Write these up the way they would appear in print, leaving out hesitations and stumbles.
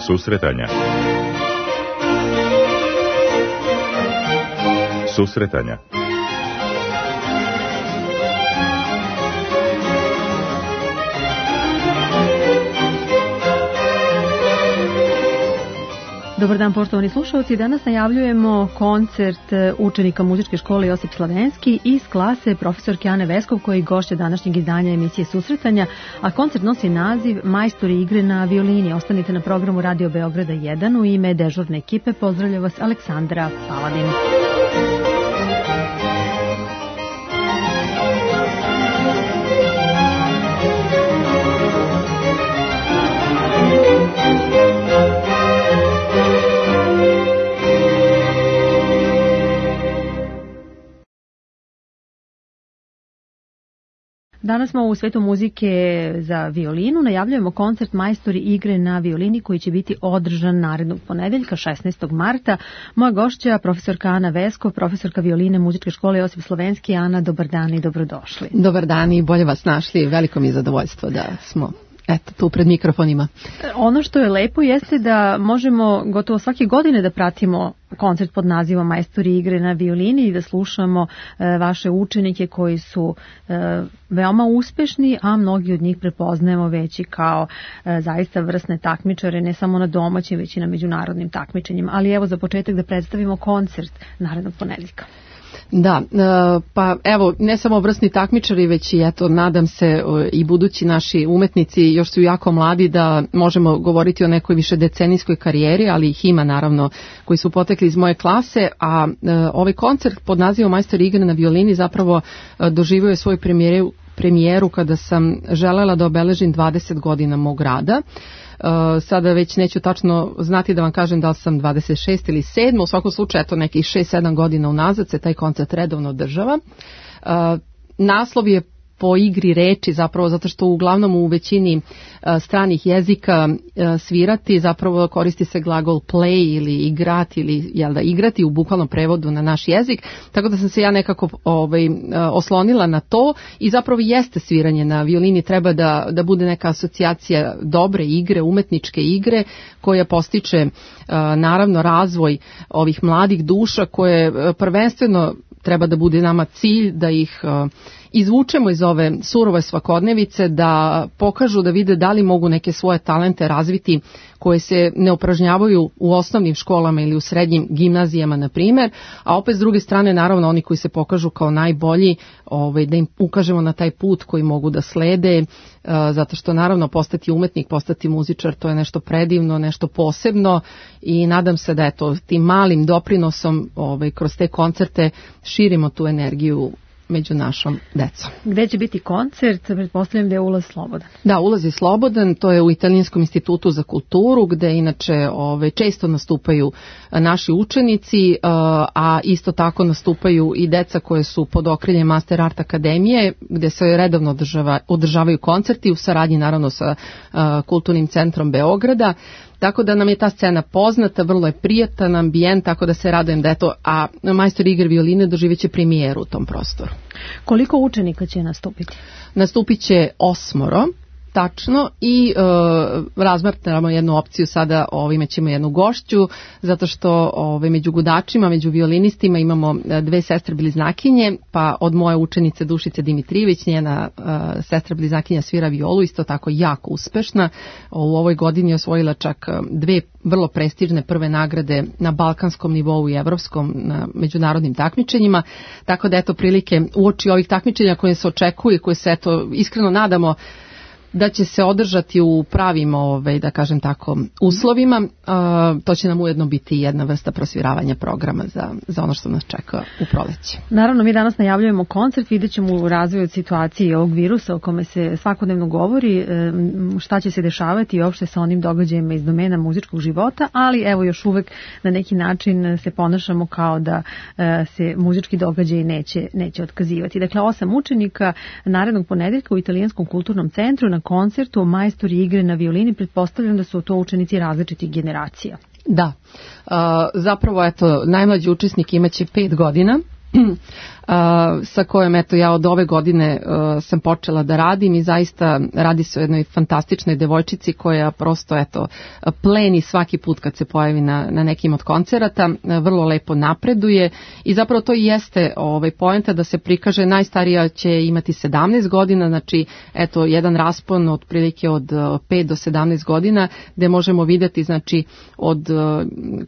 Susretanja. Susretanja. Dobar dan, poštovani slušalci. Danas najavljujemo koncert učenika muzičke škole Josip Slavenski iz klase profesorke Ane Veskov, koji gošće današnjeg izdanja emisije Susretanja, a koncert nosi naziv Majstori igre na violini. Ostanite na programu Radio Beograda 1. U ime dežurne ekipe pozdravlja vas Aleksandra Paladin. Danas smo u svetu muzike za violinu. Najavljujemo koncert Majstori igre na violini koji će biti održan narednog ponedeljka 16. marta. Moja gošća, profesorka Ana Vesko, profesorka violine muzičke škole Josip Slavenski. Ana, dobar dan i dobrodošli. Dobar dan i bolje vas našli. Veliko mi je zadovoljstvo da smo tu pred mikrofonima. Ono što je lepo jeste da možemo gotovo svake godine da pratimo koncert pod nazivom Majstori igre na violini i da slušamo vaše učenike koji su veoma uspešni, a mnogi od njih prepoznajemo već i kao zaista vrsne takmičare, ne samo na domaćim, već i na međunarodnim takmičenjima. Ali evo za početak da predstavimo koncert narednog ponedeljka. Da, pa evo, ne samo vrsni takmičari, već i eto, nadam se i budući naši umetnici još su jako mladi da možemo govoriti o nekoj više decenijskoj karijeri, ali ih ima naravno koji su potekli iz moje klase, a ovaj koncert pod nazivom Majstori igre na violini zapravo doživio je svoju premijeru kada sam želela da obeležim 20 godina mog rada. Sada već neću tačno znati da vam kažem da li sam 26 ili 7, u svakom slučaju eto nekih 6-7 godina unazad se taj koncert redovno održava. Naslov je po igri reči, zapravo zato što uglavnom u većini stranih jezika svirati zapravo koristi se glagol play ili igrati ili igrati u bukvalnom prevodu na naš jezik, tako da sam se ja nekako oslonila na to i zapravo jeste sviranje na violini, treba da bude neka asocijacija dobre igre, umetničke igre koja postiče naravno razvoj ovih mladih duša koje prvenstveno treba da bude nama cilj da ih izvučemo iz ove surove svakodnevice, da pokažu da vide da li mogu neke svoje talente razviti koje se ne upražnjavaju u osnovnim školama ili u srednjim gimnazijama, na primjer, a opet s druge strane naravno oni koji se pokažu kao najbolji, da im ukažemo na taj put koji mogu da slede, zato što naravno postati umetnik, postati muzičar, to je nešto predivno, nešto posebno i nadam se da tim malim doprinosom kroz te koncerte širimo tu energiju među našom decom. Gde će biti koncert? Pretpostavljam da je ulaz slobodan. Da, ulaz je slobodan, to je u Italijanskom institutu za kulturu, gde inače često nastupaju naši učenici, a isto tako nastupaju i deca koje su pod okriljem Master Art Akademije, gde se redovno održavaju koncerti u saradnji naravno sa Kulturnim centrom Beograda. Tako da nam je ta scena poznata, vrlo je prijatan ambijent, tako da se radujem da a Majstori igre violine doživjet će premijeru u tom prostoru. Koliko učenika će nastupiti? Nastupit će 8, tačno, i razmatramo jednu opciju sada, imaćemo jednu gošću, zato što među gudačima, među violinistima imamo 2 sestre bliznakinje, pa od moje učenice Dušice Dimitrijević, njena sestra bliznakinja svira violu, isto tako jako uspešna. U ovoj godini je osvojila čak 2 vrlo prestižne prve nagrade na balkanskom nivou i evropskom na međunarodnim takmičenjima, tako da prilike uoči ovih takmičenja koje se očekuje, koje se iskreno nadamo da će se održati u pravim, da kažem tako, uslovima. To će nam ujedno biti jedna vrsta prosviravanja programa za ono što nas čeka u proleće. Naravno, mi danas najavljujemo koncert, vidjet ćemo u razvoju situaciji ovog virusa o kome se svakodnevno govori, šta će se dešavati i uopšte sa onim događajima iz domena muzičkog života, ali evo još uvek na neki način se ponašamo kao da se muzički događaj neće otkazivati. Dakle, 8 učenika narednog ponedeljka u Italijanskom kulturnom centru na koncertu Majstori igre na violini. Pretpostavljam da su to učenici različitih generacija. Da, zapravo najmlađi učesnik imaće 5 godina, sa kojom eto ja od ove godine sam počela da radim i zaista radi se o jednoj fantastičnoj devojčici koja prosto eto pleni svaki put kad se pojavi na nekim od koncerata, vrlo lepo napreduje i zapravo to i jeste poenta da se prikaže, najstarija će imati 17 godina, znači eto jedan raspon otprilike od 5 do 17 godina gde možemo videti znači od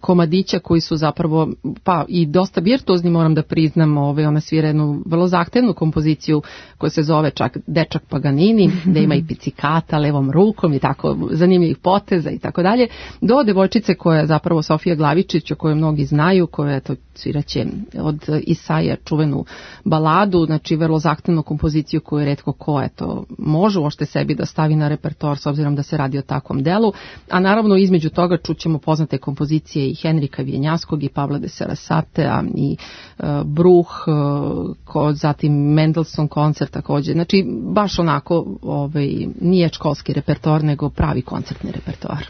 komadića koji su zapravo pa i dosta virtuozni, moram da priznam, ona svira jednu vrlo zahtevnu kompoziciju koja se zove čak Dečak Paganini, gde ima i picikata levom rukom i tako zanimljivih poteza i tako dalje, do devojčice koja je zapravo Sofija Glavičić, o kojoj mnogi znaju, koja eto sviraće od Isaija čuvenu baladu, znači vrlo zahtevnu kompoziciju koju je retko ko eto može uopšte sebi da stavi na repertoar s obzirom da se radi o takvom delu, a naravno između toga čućemo poznate kompozicije i Henrika Vjenjaskog i Pavla de Sarasatea i Bruh, zatim Mendelssohn koncert takođe, znači baš onako nije školski repertoar nego pravi koncertni repertoar.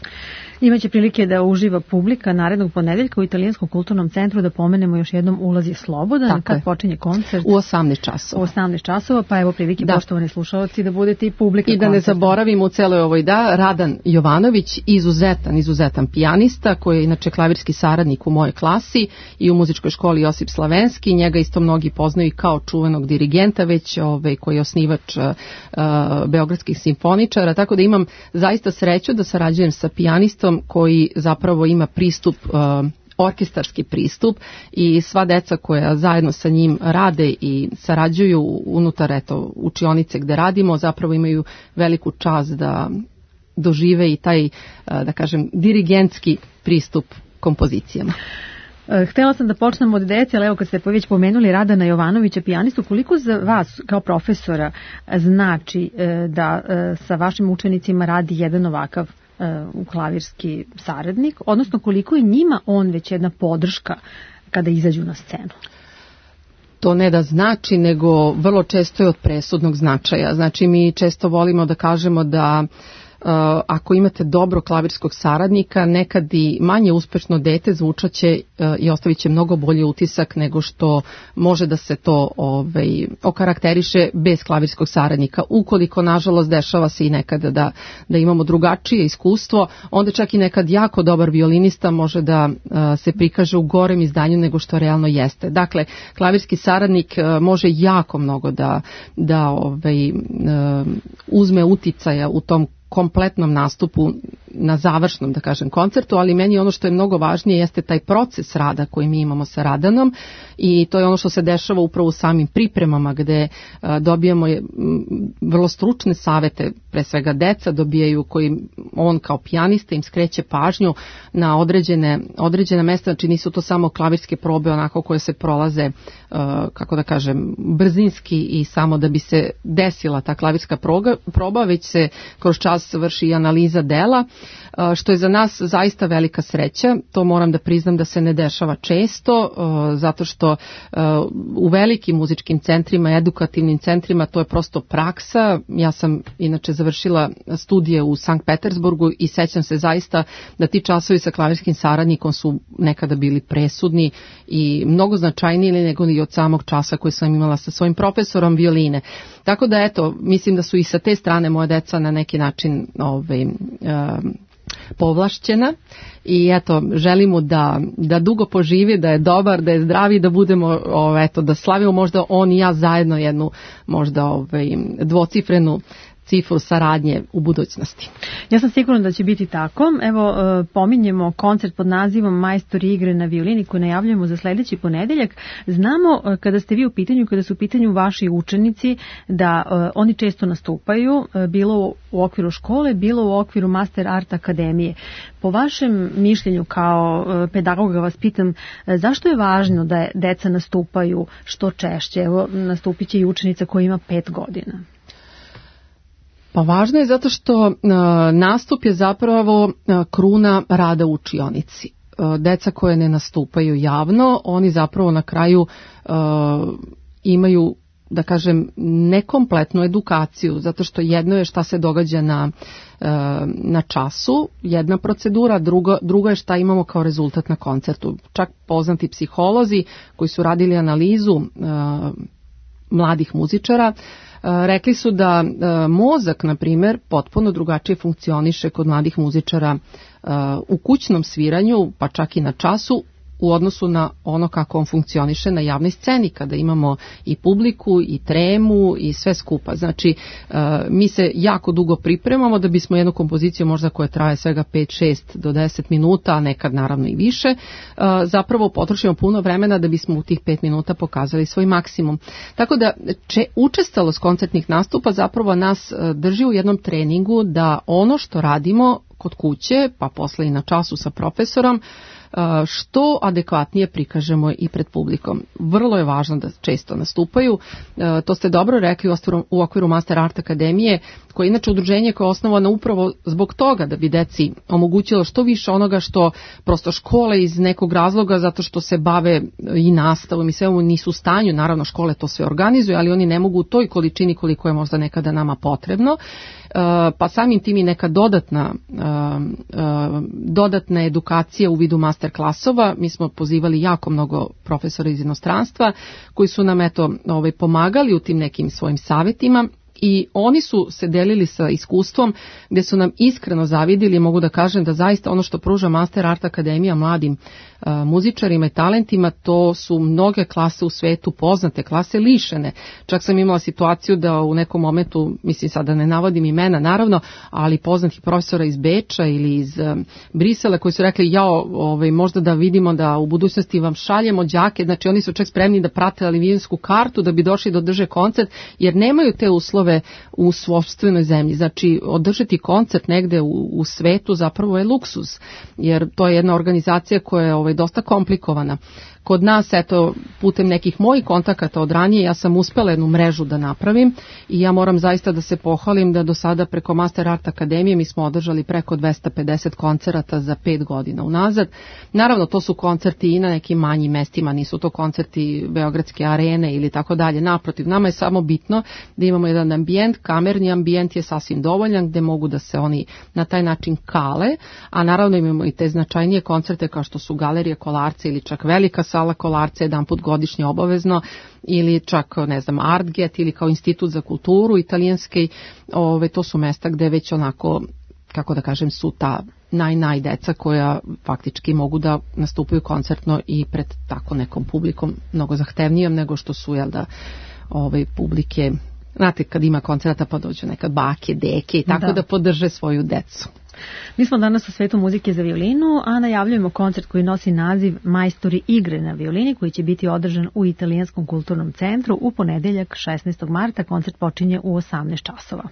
Imaće prilike da uživa publika narednog ponedeljka u Italijanskom kulturnom centru, da pomenemo još jednom, ulaz je slobodan. Tako kad je. Počinje koncert? U 18 časova. U 18 časova, pa evo prilike poštovani slušalci da budete i publika i da koncerta. ne zaboravimo u celoj ovoj Radan Jovanović, izuzetan pijanista koji je inače klavirski saradnik u mojoj klasi i u muzičkoj školi Josip Slavenski, njega isto mnogi poznaju kao čuvenog dirigenta već koji je osnivač beogradskih simfoničara, tako da imam zaista sreću da sarađujem sa pijanistom koji zapravo ima pristup, orkestarski pristup i sva deca koja zajedno sa njim rade i sarađuju unutar učionice gde radimo zapravo imaju veliku čast da dožive i taj, da kažem, dirigentski pristup kompozicijama. Htela sam da počnem od dece, ali evo kad ste već pomenuli Radana Jovanovića, pijanistu, koliko za vas kao profesora znači da sa vašim učenicima radi jedan ovakav klavirski saradnik, odnosno koliko je njima on već jedna podrška kada izađu na scenu? To ne da znači, nego vrlo često je od presudnog značaja. Znači mi često volimo da kažemo da ako imate dobro klavirskog saradnika, nekad i manje uspešno dete zvučaće i ostavit će mnogo bolji utisak nego što može da se to okarakteriše bez klavirskog saradnika. Ukoliko, nažalost, dešava se i nekada da imamo drugačije iskustvo, onda čak i nekad jako dobar violinista može da se prikaže u gorem izdanju nego što realno jeste. Dakle, klavirski saradnik može jako mnogo da uzme uticaja u tom kompletnom nastupu na završnom, da kažem, koncertu, ali meni ono što je mnogo važnije jeste taj proces rada koji mi imamo sa Radanom i to je ono što se dešava upravo u samim pripremama gde dobijamo vrlo stručne savete, pre svega deca dobijaju koji on kao pijanista im skreće pažnju na određena mesta, znači nisu to samo klavirske probe onako koje se prolaze, kako da kažem, brzinski i samo da bi se desila ta klavirska proba, već se kroz čas vrši i analiza dela, što je za nas zaista velika sreća. To moram da priznam da se ne dešava često, zato što u velikim muzičkim centrima, edukativnim centrima, to je prosto praksa. Ja sam inače završila studije u Sankt Petersburgu i sećam se zaista da ti časovi sa klavirskim saradnikom su nekada bili presudni i mnogo značajniji nego i od samog časa koji sam imala sa svojim profesorom violine. Tako da eto, mislim da su i sa te strane moja deca na neki način povlašćena i eto, želimo da dugo poživi, da je dobar, da je zdravi, da budemo, da slavimo možda on i ja zajedno jednu možda dvocifrenu cifru saradnje u budućnosti. Ja sam sigurna da će biti tako. Evo, pominjemo koncert pod nazivom Majstori igre na violini koji najavljujemo za sledeći ponedeljak. Znamo kada ste vi u pitanju, kada su u pitanju vaši učenici, da oni često nastupaju, bilo u okviru škole, bilo u okviru Master Art Akademije. Po vašem mišljenju kao pedagoga vas pitam, zašto je važno da deca nastupaju što češće? Evo, nastupit će i učenica koja ima 5 godina. Pa važno je zato što nastup je zapravo kruna rada u učionici. Deca koje ne nastupaju javno, oni zapravo na kraju imaju da kažem, nekompletnu edukaciju, zato što jedno je šta se događa na času, jedna procedura, drugo je šta imamo kao rezultat na koncertu. Čak poznati psiholozi koji su radili analizu mladih muzičara, rekli su da mozak, na primjer, potpuno drugačije funkcioniše kod mladih muzičara u kućnom sviranju, pa čak i na času, u odnosu na ono kako on funkcioniše na javnoj sceni, kada imamo i publiku, i tremu, i sve skupa. Znači, mi se jako dugo pripremamo da bismo jednu kompoziciju, možda koja traje svega 5, 6 do 10 minuta, a nekad naravno i više, zapravo potrošimo puno vremena da bismo u tih 5 minuta pokazali svoj maksimum. Tako da, učestalost koncertnih nastupa zapravo nas drži u jednom treningu da ono što radimo kod kuće, pa posle i na času sa profesorom, što adekvatnije prikažemo i pred publikom. Vrlo je važno da često nastupaju. To ste dobro rekli u okviru Master Art Akademije, koje je inače udruženje koje je osnovano upravo zbog toga da bi deci omogućilo što više onoga što prosto škole iz nekog razloga, zato što se bave i nastavom i sve nisu u stanju, naravno škole to sve organizuju, ali oni ne mogu u toj količini koliko je možda nekada nama potrebno, pa samim tim i neka dodatna edukacija u vidu master klasova. Mi smo pozivali jako mnogo profesora iz inostranstva koji su nam pomagali u tim nekim svojim savjetima. I oni su se delili sa iskustvom gdje su nam iskreno zavidili, mogu da kažem da zaista ono što pruža Master Art Akademija mladim muzičarima i talentima, to su mnoge klase u svetu, poznate klase, lišene. Čak sam imala situaciju da u nekom momentu, mislim sada ne navodim imena naravno, ali poznatih profesora iz Beča ili iz Brisela koji su rekli možda da vidimo da u budućnosti vam šaljemo đake, znači oni su čak spremni da prate avionsku kartu da bi došli da održe koncert, jer nemaju te uslove u sopstvenoj zemlji. Znači održati koncert negde u svetu zapravo je luksuz, jer to je jedna organizacija koja je dosta komplikovana. Kod nas, putem nekih mojih kontakata od ranije, ja sam uspela jednu mrežu da napravim i ja moram zaista da se pohvalim da do sada preko Master Art Akademije mi smo održali preko 250 koncerata za 5 godina unazad. Naravno, to su koncerti i na nekim manjim mestima, nisu to koncerti Beogradske arene ili tako dalje. Naprotiv, nama je samo bitno da imamo jedan ambijent, kamerni ambijent je sasvim dovoljan gde mogu da se oni na taj način kale, a naravno imamo i te značajnije koncerte kao što su Galerija Kolarca ili čak Velika sala Kolarca jedan put godišnje obavezno, ili čak, Artget ili kao Institut za kulturu italijanski, to su mesta gde već onako, kako da kažem, su ta naj deca koja faktički mogu da nastupaju koncertno i pred tako nekom publikom, mnogo zahtevnijom nego što su, publike, znate, kad ima koncerta pa dođu nekad bake, deke i tako da podrže svoju decu. Mi smo danas u svetu muzike za violinu, a najavljujemo koncert koji nosi naziv Majstori igre na violini, koji će biti održan u Italijanskom kulturnom centru u ponedeljak 16. marta. Koncert počinje u 18 časova.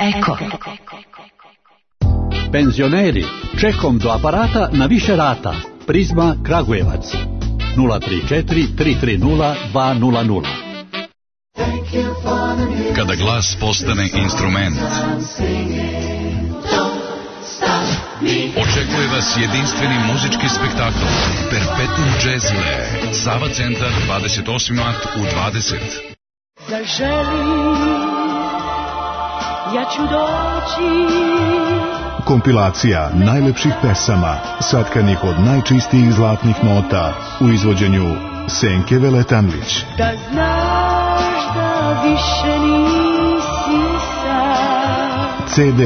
Eko. Penzioneri, čekom do aparata na više rata. Prizma Kragujevac 034 330 200. Kada glas postane instrument, očekuje vas jedinstveni muzički spektakl Perpetuum Jazzile, Sava centar, 28. mart u 20. Zaželi, ja ću doći. Kompilacija najlepših pesama, satkanih od najčistijih zlatnih nota u izvođenju Senke Veletanlić. Da znaš da više nisi sam. CD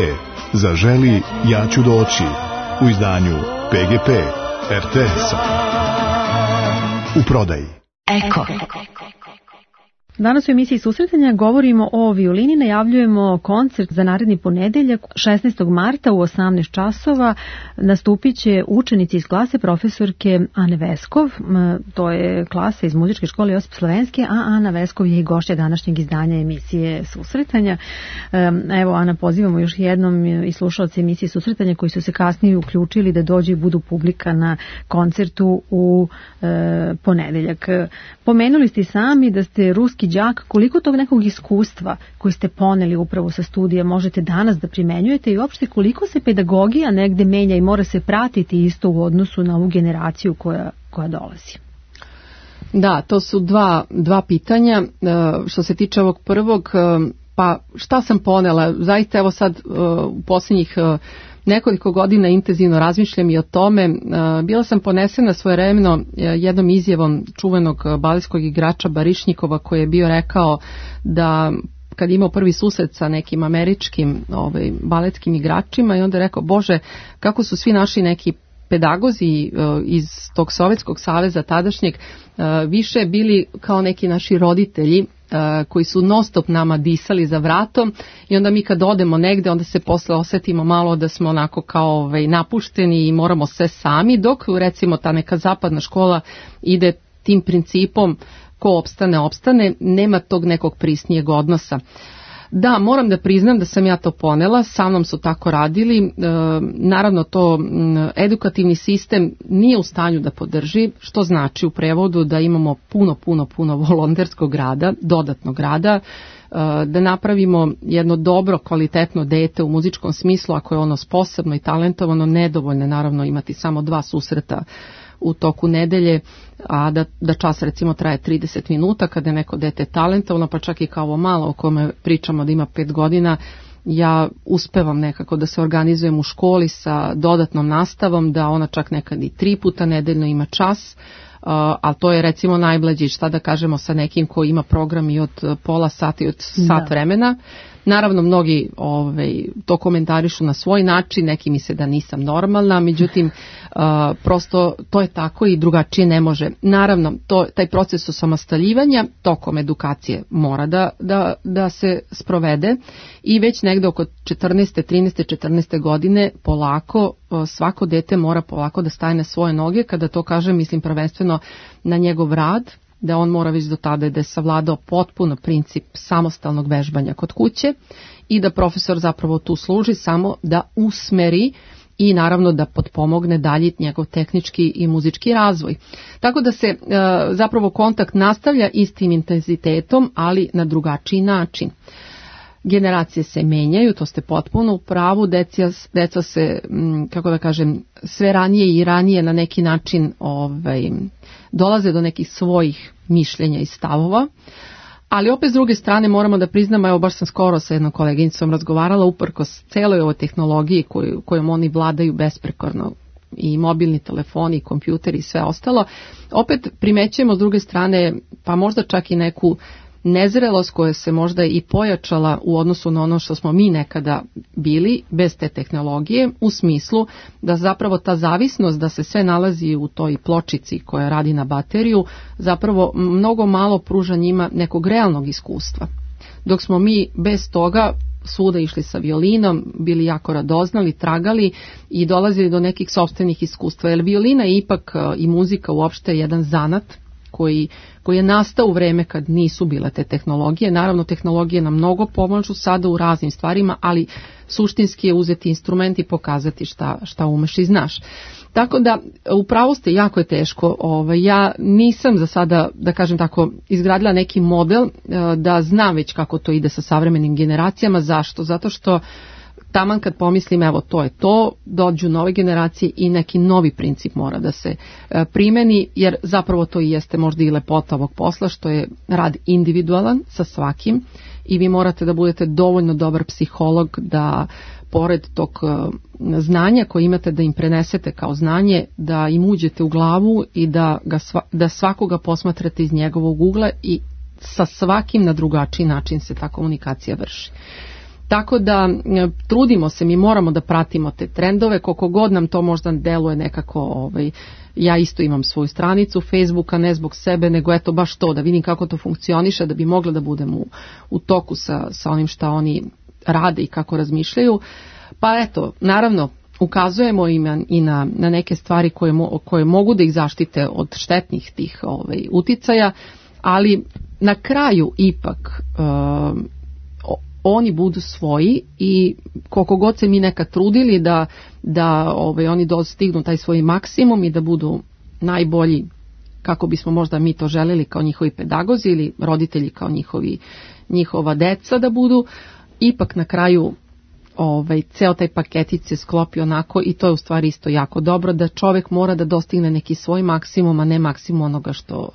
Zaželi, ja ću doći u izdanju PGP RTS-a. U prodaji. Eko. Danas u emisiji Susretanja govorimo o violini, najavljujemo koncert za naredni ponedeljak 16. marta u 18 časova. Nastupit će učenici iz klase profesorke Ane Veskov, to je klasa iz muzičke škole Josip Slovenski, a Ana Veskov je i gošća današnjeg izdanja emisije Susretanja. Evo, Ana, pozivamo još jednom i slušalce emisije Susretanja koji su se kasnije uključili da dođu i budu publika na koncertu u ponedeljak. Pomenuli ste sami da ste ruski đak, koliko tog nekog iskustva koji ste poneli upravo sa studija možete danas da primenjujete i uopšte koliko se pedagogija negde menja i mora se pratiti isto u odnosu na ovu generaciju koja dolazi? Da, to su dva pitanja. Što se tiče ovog prvog, pa šta sam ponela? Zaista evo sad u posljednjih nekoliko godina intenzivno razmišljam i o tome. Bila sam ponesena svojevremeno jednom izjavom čuvenog baletskog igrača Barišnikova koji je bio rekao da kad je imao prvi susret sa nekim američkim baletskim igračima i onda je rekao, Bože, kako su svi naši neki pedagozi iz tog Sovjetskog saveza tadašnjeg više bili kao neki naši roditelji koji su non stop nama disali za vratom i onda mi kad odemo negde onda se posle osetimo malo da smo onako kao napušteni i moramo sve sami, dok recimo ta neka zapadna škola ide tim principom ko opstane, nema tog nekog prisnijeg odnosa. Da, moram da priznam da sam ja to ponela, sa mnom su tako radili, naravno to edukativni sistem nije u stanju da podrži, što znači u prevodu da imamo puno volonterskog rada, dodatnog rada, da napravimo jedno dobro, kvalitetno dete u muzičkom smislu, ako je ono sposobno i talentovano, nedovoljno naravno imati samo 2 susreta u toku nedelje, a da čas recimo traje 30 minuta kada je neko dete talentovano, pa čak i kao ovo malo o kome pričamo da ima 5 godina, ja uspevam nekako da se organizujem u školi sa dodatnom nastavom, da ona čak nekad i 3 puta nedeljno ima čas, ali to je recimo najblađi, šta da kažemo sa nekim koji ima program i od pola sata i od sat vremena. Naravno, mnogi to komentarišu na svoj način, neki misle da nisam normalna, međutim, prosto to je tako i drugačije ne može. Naravno, taj proces osamostaljivanja tokom edukacije mora da se sprovede i već negde oko 14. godine polako, svako dete mora polako da staje na svoje noge. Kada to kažem, mislim prvenstveno na njegov rad, da on mora već do tada da je savladao potpuno princip samostalnog vežbanja kod kuće i da profesor zapravo tu služi samo da usmeri i naravno da potpomogne dalje njegov tehnički i muzički razvoj. Tako da se zapravo kontakt nastavlja istim intenzitetom, ali na drugačiji način. Generacije se menjaju, to ste potpuno u pravu, deca se, kako da kažem, sve ranije i ranije na neki način dolaze do nekih svojih mišljenja i stavova, ali opet s druge strane moramo da priznamo, evo baš sam skoro sa jednom koleginicom razgovarala uprkos celoj ovoj tehnologiji kojom oni vladaju besprekorno, i mobilni telefoni, i kompjuteri i sve ostalo, opet primećujemo s druge strane pa možda čak i neku nezrelost koja se možda i pojačala u odnosu na ono što smo mi nekada bili bez te tehnologije, u smislu da zapravo ta zavisnost da se sve nalazi u toj pločici koja radi na bateriju zapravo mnogo malo pruža njima nekog realnog iskustva. Dok smo mi bez toga svuda išli sa violinom, bili jako radoznali, tragali i dolazili do nekih sopstvenih iskustva. Jer violina je ipak i muzika uopšte jedan zanat koji je nastao u vreme kad nisu bile te tehnologije. Naravno, tehnologije nam mnogo pomažu sada u raznim stvarima, ali suštinski je uzeti instrument i pokazati šta umeš i znaš. Tako da, upravo ste, jako je teško. Ja nisam za sada, da kažem tako, izgradila neki model da znam već kako to ide sa savremenim generacijama. Zašto? Zato što taman kad pomislim, evo to je to, dođu nove generacije i neki novi princip mora da se primeni, jer zapravo to i jeste možda i lepota ovog posla, što je rad individualan sa svakim i vi morate da budete dovoljno dobar psiholog da pored tog znanja koje imate da im prenesete kao znanje, da im uđete u glavu i da svakoga posmatrate iz njegovog ugla i sa svakim na drugačiji način se ta komunikacija vrši. Tako da trudimo se, mi moramo da pratimo te trendove, koliko god nam to možda deluje nekako, ja isto imam svoju stranicu Facebooka, ne zbog sebe, nego eto baš to, da vidim kako to funkcioniše, da bi mogla da budem u toku sa onim šta oni rade i kako razmišljaju. Pa eto, naravno, ukazujemo im i na neke stvari koje mogu da ih zaštite od štetnih tih uticaja, ali na kraju ipak oni budu svoji i koliko god se mi nekad trudili da oni dostignu taj svoj maksimum i da budu najbolji kako bismo možda mi to želeli kao njihovi pedagozi ili roditelji kao njihova deca da budu, ipak na kraju ceo taj paketić se sklopi onako i to je u stvari isto jako dobro, da čovjek mora da dostigne neki svoj maksimum, a ne maksimum onoga što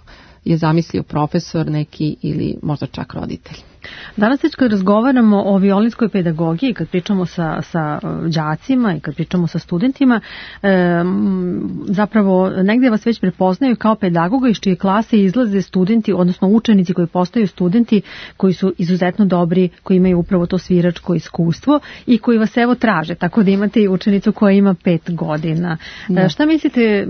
je zamislio profesor neki ili možda čak roditelj. Danas već kad razgovaramo o violinskoj pedagogiji, kad pričamo sa đacima i kad pričamo sa studentima, zapravo negdje vas već prepoznaju kao pedagoga iz čije klase izlaze studenti, odnosno učenici koji postaju studenti, koji su izuzetno dobri, koji imaju upravo to sviračko iskustvo i koji vas evo traže, tako da imate i učenicu koja ima 5 godina. Da. Šta mislite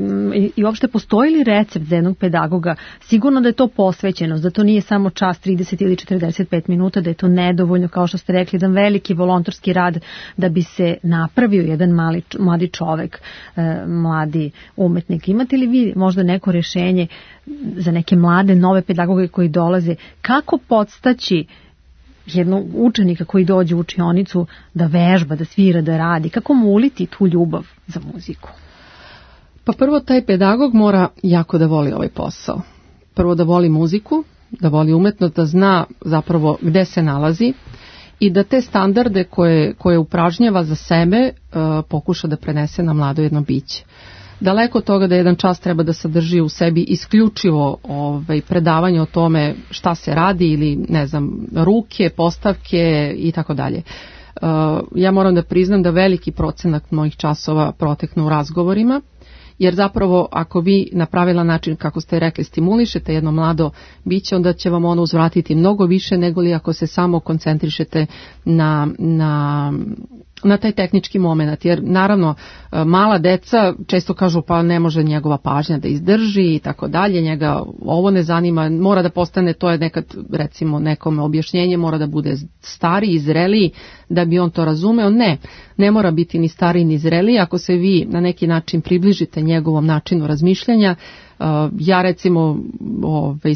i uopšte postoji li recept za jednog pedagoga? Sigurno da je to posvećenost, da to nije samo čas 30 ili 45 minuta, da je to nedovoljno, kao što ste rekli, jedan veliki volonterski rad da bi se napravio jedan mladi čovek, mladi umetnik. Imate li vi možda neko rješenje za neke mlade, nove pedagoge koji dolaze? Kako podstaći jednog učenika koji dođe u učionicu da vežba, da svira, da radi? Kako mu uliti tu ljubav za muziku? Pa prvo, taj pedagog mora jako da voli ovaj posao. Prvo da voli muziku, da voli umetnost, da zna zapravo gde se nalazi i da te standarde koje upražnjava za sebe pokuša da prenese na mlado jedno biće. Daleko od toga da jedan čas treba da sadrži u sebi isključivo predavanje o tome šta se radi ili ne znam, ruke, postavke i tako dalje. Ja moram da priznam da veliki procenat mojih časova proteknu u razgovorima, jer zapravo ako vi na pravilan način, kako ste rekli, stimulišete jedno mlado biće, onda će vam ono uzvratiti mnogo više nego li ako se samo koncentrišete na taj tehnički moment, jer naravno mala deca često kažu pa ne može njegova pažnja da izdrži i tako dalje, njega ovo ne zanima, mora da postane, to je nekad recimo nekome objašnjenje, mora da bude stariji, zreliji da bi on to razumeo. Ne mora biti ni stariji ni zreliji, ako se vi na neki način približite njegovom načinu razmišljanja. Ja recimo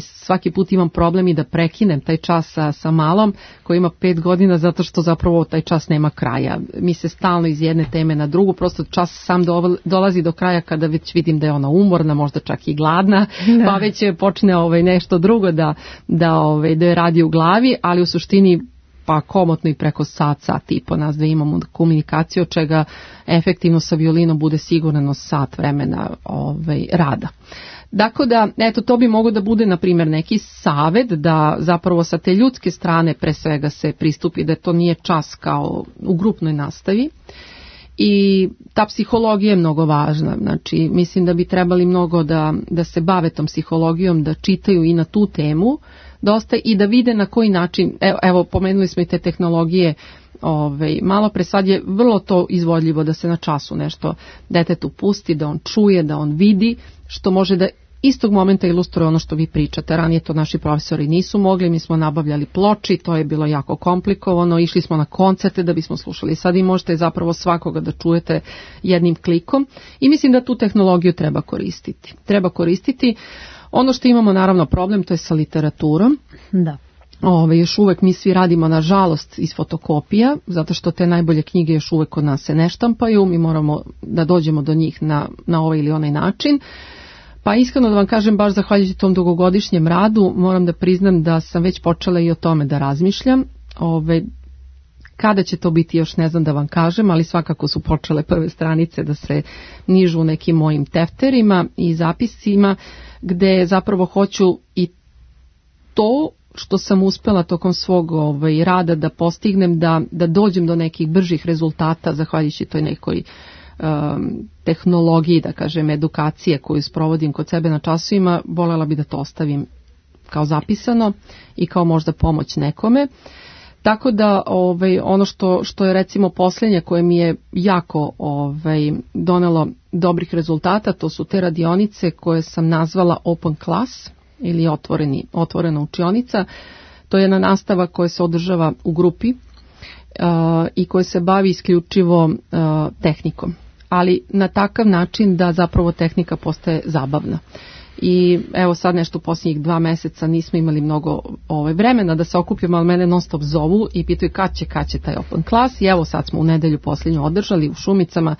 svaki put imam problem i da prekinem taj čas sa malom koji ima 5 godina zato što zapravo taj čas nema kraja. Mi se stalno iz jedne teme na drugu, prosto čas sam dolazi do kraja kada već vidim da je ona umorna, možda čak i gladna, pa već počne nešto drugo da je radi u glavi, ali u suštini pa komotno i preko sat i po nas da imamo komunikaciju, od čega efektivno sa violinom bude sigurno sat vremena rada. Dakle da, eto, to bi moglo da bude, na primjer, neki savjet da zapravo sa te ljudske strane pre svega se pristupi, da to nije čas kao u grupnoj nastavi. I ta psihologija je mnogo važna, znači mislim da bi trebali mnogo da se bave tom psihologijom, da čitaju i na tu temu dosta i da vide na koji način, evo pomenuli smo i te tehnologije, malo pre sad je vrlo to izvodljivo da se na času nešto detetu pusti, da on čuje, da on vidi, što može da istog momenta ilustruje ono što vi pričate. Ranije to naši profesori nisu mogli, mi smo nabavljali ploči, to je bilo jako komplikovano, išli smo na koncerte da bismo slušali. Sad i možete zapravo svakoga da čujete jednim klikom i mislim da tu tehnologiju treba koristiti. Ono što imamo naravno problem, to je sa literaturom. Da. Još uvek mi svi radimo nažalost iz fotokopija, zato što te najbolje knjige još uvek kod nas se ne štampaju, mi moramo da dođemo do njih na ovaj ili onaj način. Pa iskreno da vam kažem, baš zahvaljujući tom dugogodišnjem radu, moram da priznam da sam već počela i o tome da razmišljam. Kada će to biti još ne znam da vam kažem, ali svakako su počele prve stranice da se nižu u nekim mojim tefterima i zapiscima, gde zapravo hoću i to što sam uspela tokom svog rada da postignem, da dođem do nekih bržih rezultata zahvaljujući toj nekoj tehnologiji, da kažem, edukacije koju sprovodim kod sebe na časovima, voljela bi da to ostavim kao zapisano i kao možda pomoć nekome. Tako da ono što je recimo posljednje koje mi je jako donelo dobrih rezultata, to su te radionice koje sam nazvala Open Class ili otvorena učionica. To je jedna nastava koja se održava u grupi i koja se bavi isključivo tehnikom, ali na takav način da zapravo tehnika postaje zabavna. I evo sad nešto u posljednjih 2 meseca nismo imali mnogo vremena da se okupimo, ali mene non stop zovu i pitaju kad će taj Open Class i evo sad smo u nedelju posljednju održali u Šumicama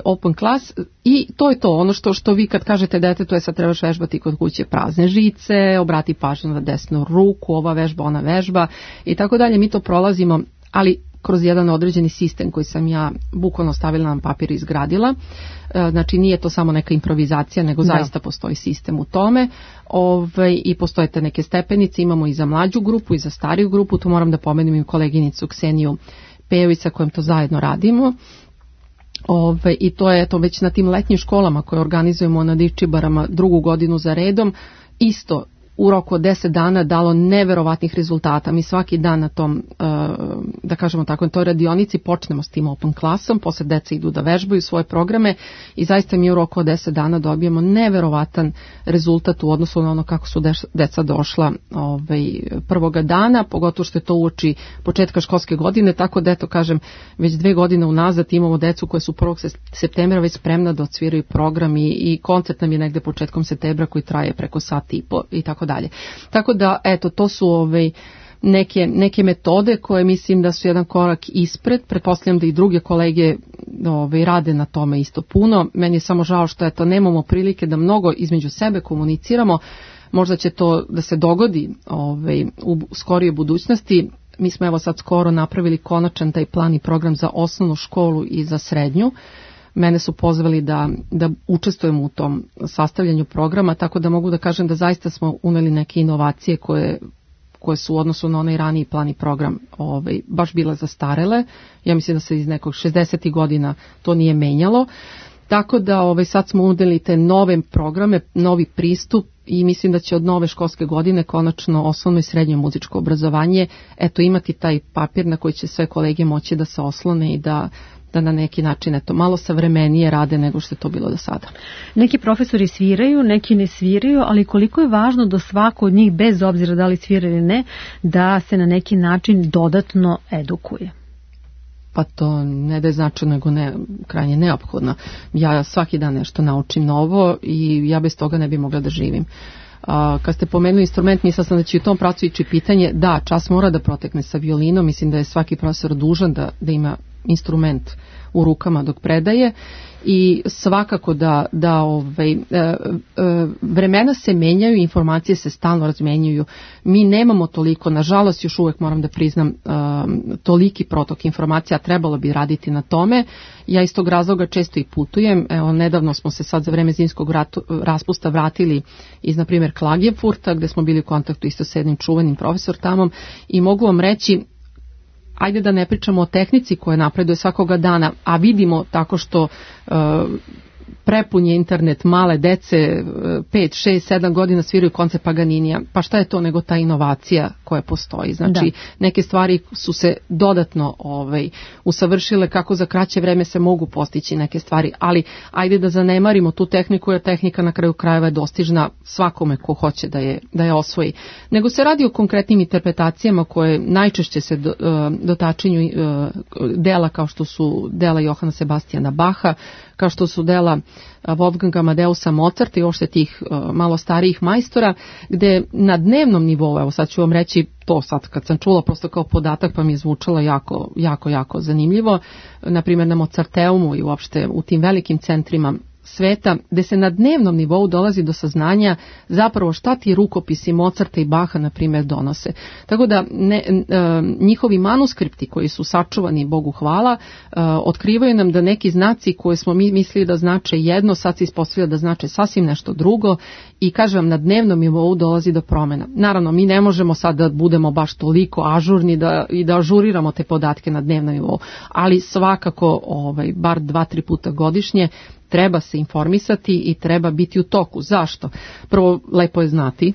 Open Class i to je to, ono što vi kad kažete detetu sad trebaš vežbati kod kuće prazne žice, obrati pažnju na desnu ruku, ova vežba, ona vežba i tako dalje, mi to prolazimo, ali kroz jedan određeni sistem koji sam ja bukvalno stavila na papir i izgradila. Znači nije to samo neka improvizacija, nego zaista postoji sistem u tome i postoje te neke stepenice, imamo i za mlađu grupu i za stariju grupu, tu moram da pomenem i koleginicu Kseniju Pejović sa kojom to zajedno radimo. I to je to već na tim letnjim školama koje organizujemo na Divčibarama 2. godinu za redom, isto u roku od 10 dana dalo neverovatnih rezultata. Mi svaki dan na tom, da kažemo tako, na toj radionici počnemo s tim Open Classom, posle deca idu da vežbaju svoje programe i zaista mi u roku od 10 dana dobijemo neverovatan rezultat u odnosu na ono kako su deca došla prvoga dana, pogotovo što je to uoči početka školske godine, tako da eto kažem, već 2 godine unazad imamo decu koje su 1. septembra već spremna da odsviraju program i koncert nam je negde početkom septembra koji traje preko sat i po i tako dalje. Tako da, eto, to su neke metode koje mislim da su jedan korak ispred. Pretpostavljam da i druge kolege rade na tome isto puno. Meni je samo žao što nemamo prilike da mnogo između sebe komuniciramo. Možda će to da se dogodi u skorijoj budućnosti. Mi smo evo sad skoro napravili konačan taj plan i program za osnovnu školu i za srednju. Mene su pozvali da učestvujem u tom sastavljanju programa, tako da mogu da kažem da zaista smo uneli neke inovacije koje su u odnosu na onaj raniji plan i program baš bile zastarele. Ja mislim da se iz nekog 60. godina to nije menjalo. Tako da sad smo uneli te nove programe, novi pristup i mislim da će od nove školske godine konačno osnovno i srednje muzičko obrazovanje imati taj papir na koji će sve kolege moći da se oslone i da na neki način malo savremenije rade nego što je to bilo do sada. Neki profesori sviraju, neki ne sviraju, ali koliko je važno da svako od njih, bez obzira da li svira ili ne, da se na neki način dodatno edukuje? Pa to ne da je značajno, nego krajnje neophodno. Ja svaki dan nešto naučim novo i ja bez toga ne bi mogla da živim. Kad ste pomenuli instrument, mislila sam da će u tom pravcu ići pitanje, da, čas mora da protekne sa violinom, mislim da je svaki profesor dužan da ima instrument u rukama dok predaje i svakako da vremena se menjaju, informacije se stalno razmenjuju. Mi nemamo toliko, nažalost još uvek moram da priznam, toliki protok informacija, trebalo bi raditi na tome. Ja iz tog razloga često i putujem. Evo, nedavno smo se sad za vreme zimskog raspusta vratili iz, na primjer, Klagenfurta, gde smo bili u kontaktu isto s jednim čuvenim profesor tamo i mogu vam reći, ajde da ne pričamo o tehnici koja napreduje svakoga dana, a vidimo tako što prepun je internet, male dece 5, 6, 7 godina sviraju koncert Paganinija. Pa šta je to nego ta inovacija koja postoji? Znači neke stvari su se dodatno usavršile kako za kraće vreme se mogu postići neke stvari, ali ajde da zanemarimo tu tehniku jer tehnika na kraju krajeva je dostižna svakome ko hoće da je osvoji. Nego se radi o konkretnim interpretacijama koje najčešće se dotačenju dela kao što su dela Johana Sebastijana Baha, kao što su dela dela Wolfganga Amadeusa Mozarta i uopšte tih malo starijih majstora, gde na dnevnom nivou, evo sad ću vam reći to sad kad sam čula prosto kao podatak pa mi je zvučalo jako zanimljivo, na primjer na Mozarteumu i uopšte u tim velikim centrima sveta, gde se na dnevnom nivou dolazi do saznanja zapravo šta ti rukopisi Mozarta i Baha, na primjer, donose. Tako da njihovi manuskripti koji su sačuvani, Bogu hvala, otkrivaju nam da neki znaci koje smo mi mislili da znače jedno, sad se ispostavlja da znače sasvim nešto drugo i kažem, na dnevnom nivou dolazi do promjena. Naravno, mi ne možemo sad da budemo baš toliko ažurni i da ažuriramo te podatke na dnevnom nivou, ali svakako bar 2-3 puta godišnje treba se informisati i treba biti u toku. Zašto? Prvo, lepo je znati.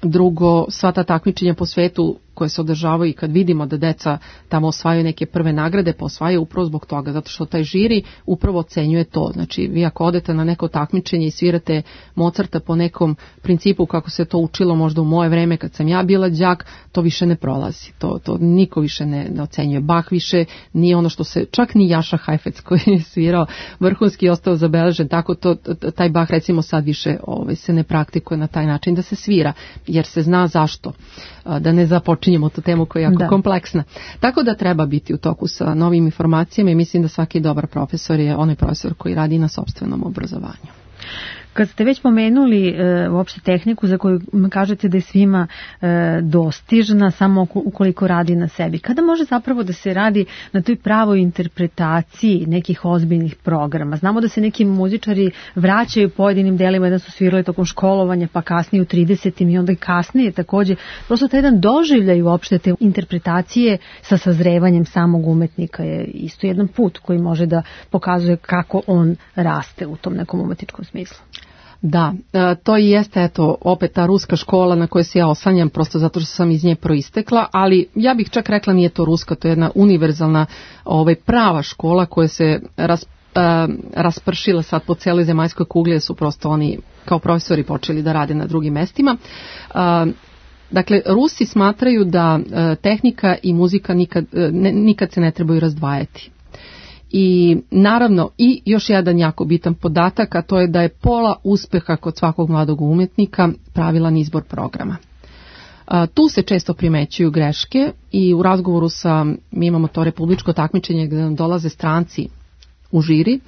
Drugo, sva ta takmičenja po svetu koje se održavaju i kad vidimo da deca tamo osvajaju neke prve nagrade, pa osvajaju upravo zbog toga, zato što taj žiri upravo ocenjuje to. Znači, vi ako odete na neko takmičenje i svirate Mozarta po nekom principu kako se to učilo možda u moje vreme kad sam ja bila đak, to više ne prolazi. To niko više ne ocenjuje. Bach više nije ono što se, čak ni Jaša Heifetz koji je svirao vrhunski ostao zabeležen, tako taj Bach recimo sad više se ne praktikuje na taj način da se svira, jer se zna zašto. Da ne započinjemo tu temu koja je jako kompleksna. Tako da treba biti u toku sa novim informacijama i mislim da svaki dobar profesor je onaj profesor koji radi na sopstvenom obrazovanju. Kad ste već pomenuli uopšte tehniku za koju kažete da je svima dostižna samo ukoliko radi na sebi, kada može zapravo da se radi na toj pravoj interpretaciji nekih ozbiljnih programa? Znamo da se neki muzičari vraćaju pojedinim delima, da su svirali tokom školovanja pa kasnije u 30. i onda i kasnije takođe. Prosto taj jedan doživljaj uopšte te interpretacije sa sazrevanjem samog umetnika je isto jedan put koji može da pokazuje kako on raste u tom nekom umetničkom smislu. Da, to i jeste opet ta ruska škola na kojoj se ja oslanjam prosto zato što sam iz nje proistekla, ali ja bih čak rekla nije to ruska, to je jedna univerzalna prava škola koja se raspršila sad po cijeloj zemaljskoj kugli, su prosto oni kao profesori počeli da rade na drugim mestima. Dakle, Rusi smatraju da tehnika i muzika nikad se ne trebaju razdvajati. I naravno i još jedan jako bitan podatak, a to je da je pola uspeha kod svakog mladog umjetnika pravilan izbor programa. Tu se često primećuju greške i u razgovoru mi imamo to republičko takmičenje gdje nam dolaze stranci u žiri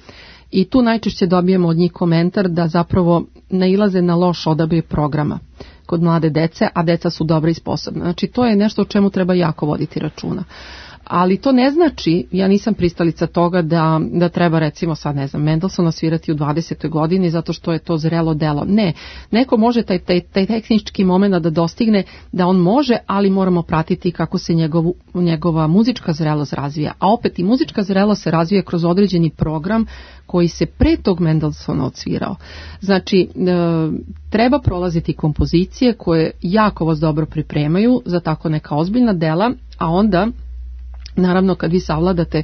i tu najčešće dobijemo od njih komentar da zapravo nailaze na loš odabir programa kod mlade dece, a deca su dobra i sposobna. Znači to je nešto o čemu treba jako voditi računa. Ali to ne znači, ja nisam pristalica toga da treba recimo sad Mendelssohna svirati u 20. godini zato što je to zrelo delo. Ne, neko može taj tehnički moment da dostigne da on može, ali moramo pratiti kako se njegova muzička zrelost razvija. A opet i muzička zrelost se razvija kroz određeni program koji se pre tog Mendelssohna odsvirao. Znači, treba prolaziti kompozicije koje jako vas dobro pripremaju za tako neka ozbiljna dela, a onda naravno, kad vi savladate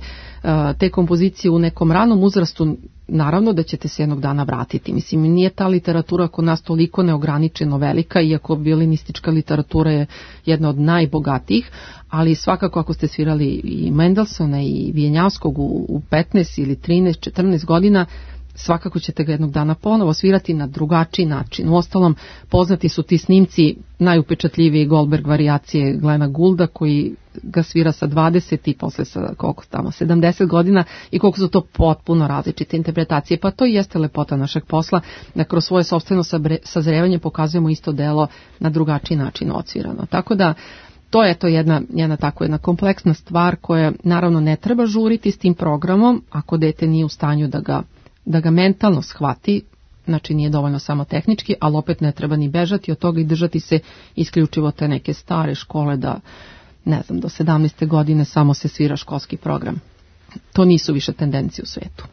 te kompozicije u nekom ranom uzrastu, naravno da ćete se jednog dana vratiti. Mislim, nije ta literatura kod nas toliko neograničeno velika, iako violinistička literatura je jedna od najbogatijih, ali svakako ako ste svirali i Mendelssohna i Vijenjavskog u 15 ili 13, 14 godina, svakako ćete ga jednog dana ponovo svirati na drugačiji način. Uostalom, poznati su ti snimci, najupečatljiviji Goldberg varijacije Glena Goulda, koji ga svira sa 20 i posle sa 70 godina i koliko su to potpuno različite interpretacije. Pa to i jeste lepota našeg posla, da kroz svoje sopstveno sazrevanje pokazujemo isto delo na drugačiji način odsvirano. Tako da, to je jedna kompleksna stvar koja naravno ne treba žuriti s tim programom ako dete nije u stanju da ga mentalno shvati, znači nije dovoljno samo tehnički, ali opet ne treba ni bežati od toga i držati se isključivo te neke stare škole da, do 17. godine samo se svira školski program. To nisu više tendencije u svetu.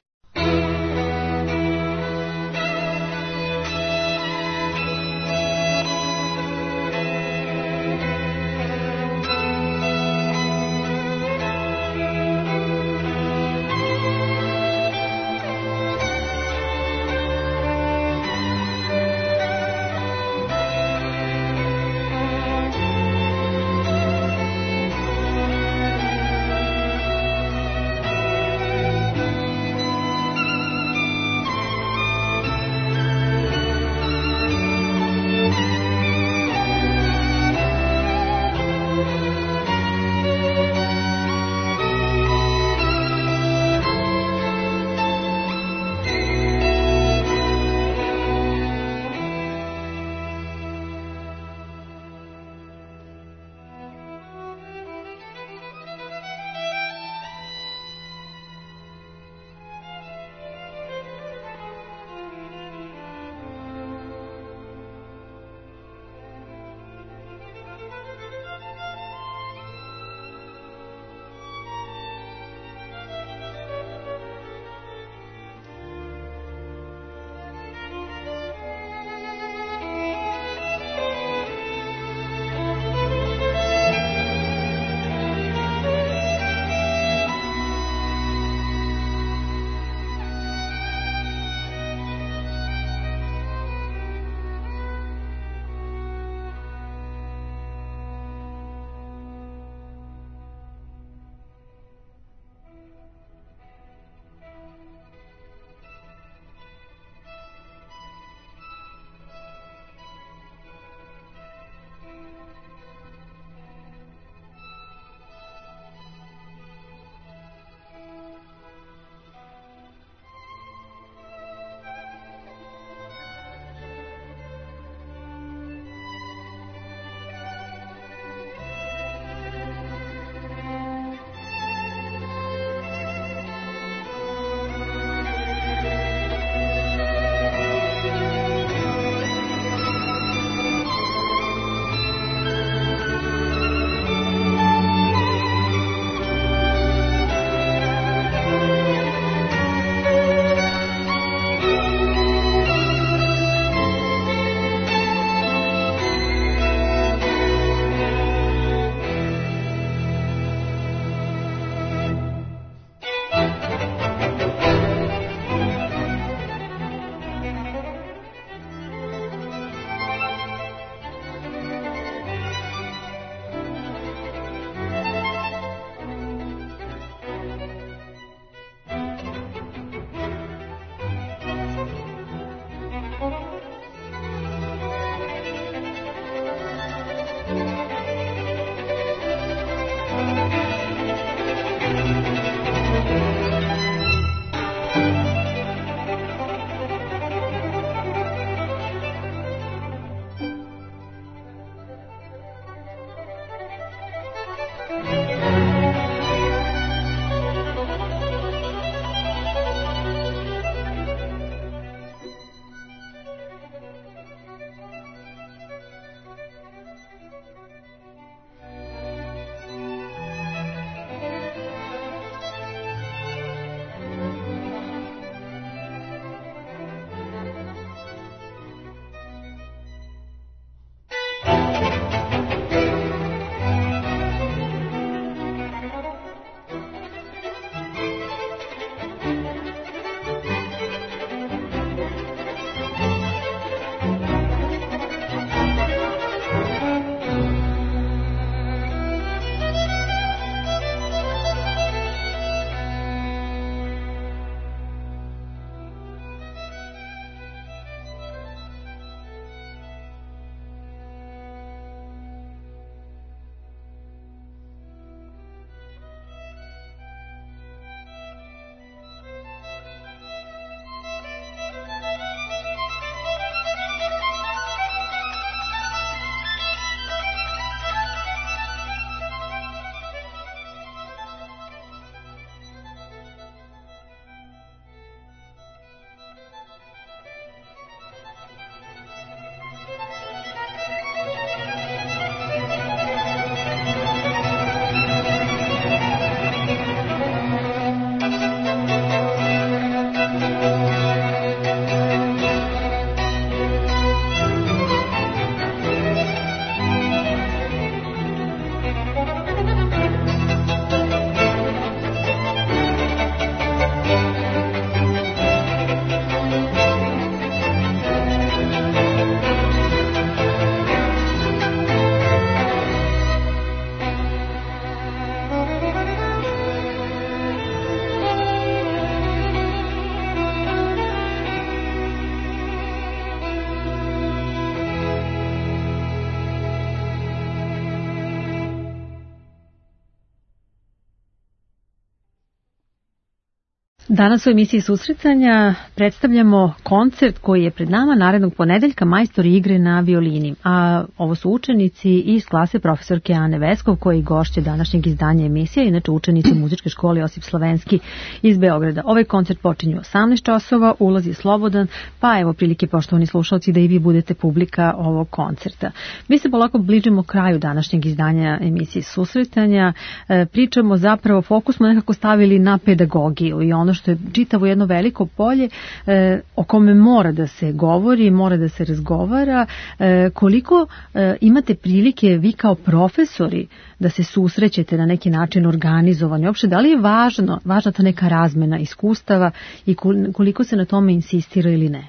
Danas u emisiji Susretanja predstavljamo koncert koji je pred nama narednog ponedeljka, Majstori igre na violini. A ovo su učenici iz klase profesorke Ane Veskov, koji gošće današnjeg izdanja emisije, inače učenici Muzičke škole Josip Slavenski iz Beograda. Ovaj koncert počinje u 18 časova, ulaz je slobodan, pa evo prilike, poštovani slušalci, da i vi budete publika ovog koncerta. Mi se polako bližimo kraju današnjeg izdanja emisije Susretanja. Pričamo zapravo, fokus smo nekako stavili na pedagogiju i ono što je čitavo jedno veliko polje o kome mora da se govori, mora da se razgovara. Koliko imate prilike vi kao profesori da se susrećete na neki način organizovani? Uopšte, da li je važna ta neka razmena iskustava i koliko se na tome insistira ili ne?